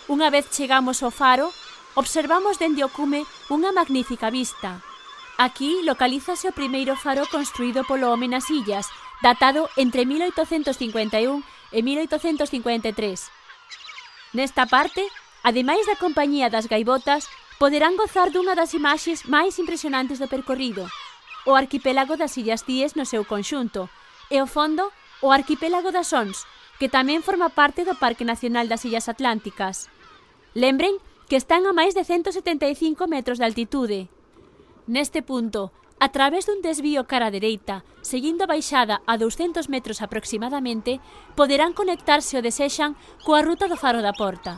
Unha vez chegamos ao faro, observamos dende o cume unha magnífica vista. Aquí localízase o primeiro faro construído polo home nas illas, datado entre 1851 e 1853. Nesta parte, ademais da compañía das gaivotas, poderán gozar dunha das imaxes máis impresionantes do percorrido, o arquipélago das Illas Cíes no seu conxunto, e ao fondo, o arquipélago das Ons, que tamén forma parte do Parque Nacional das Illas Atlánticas. Lembren que están a máis de 175 metros de altitude. Neste punto, a través dun desvío cara a dereita, seguindo a baixada a 200 metros aproximadamente, poderán conectarse o desexan coa ruta do Faro da Porta.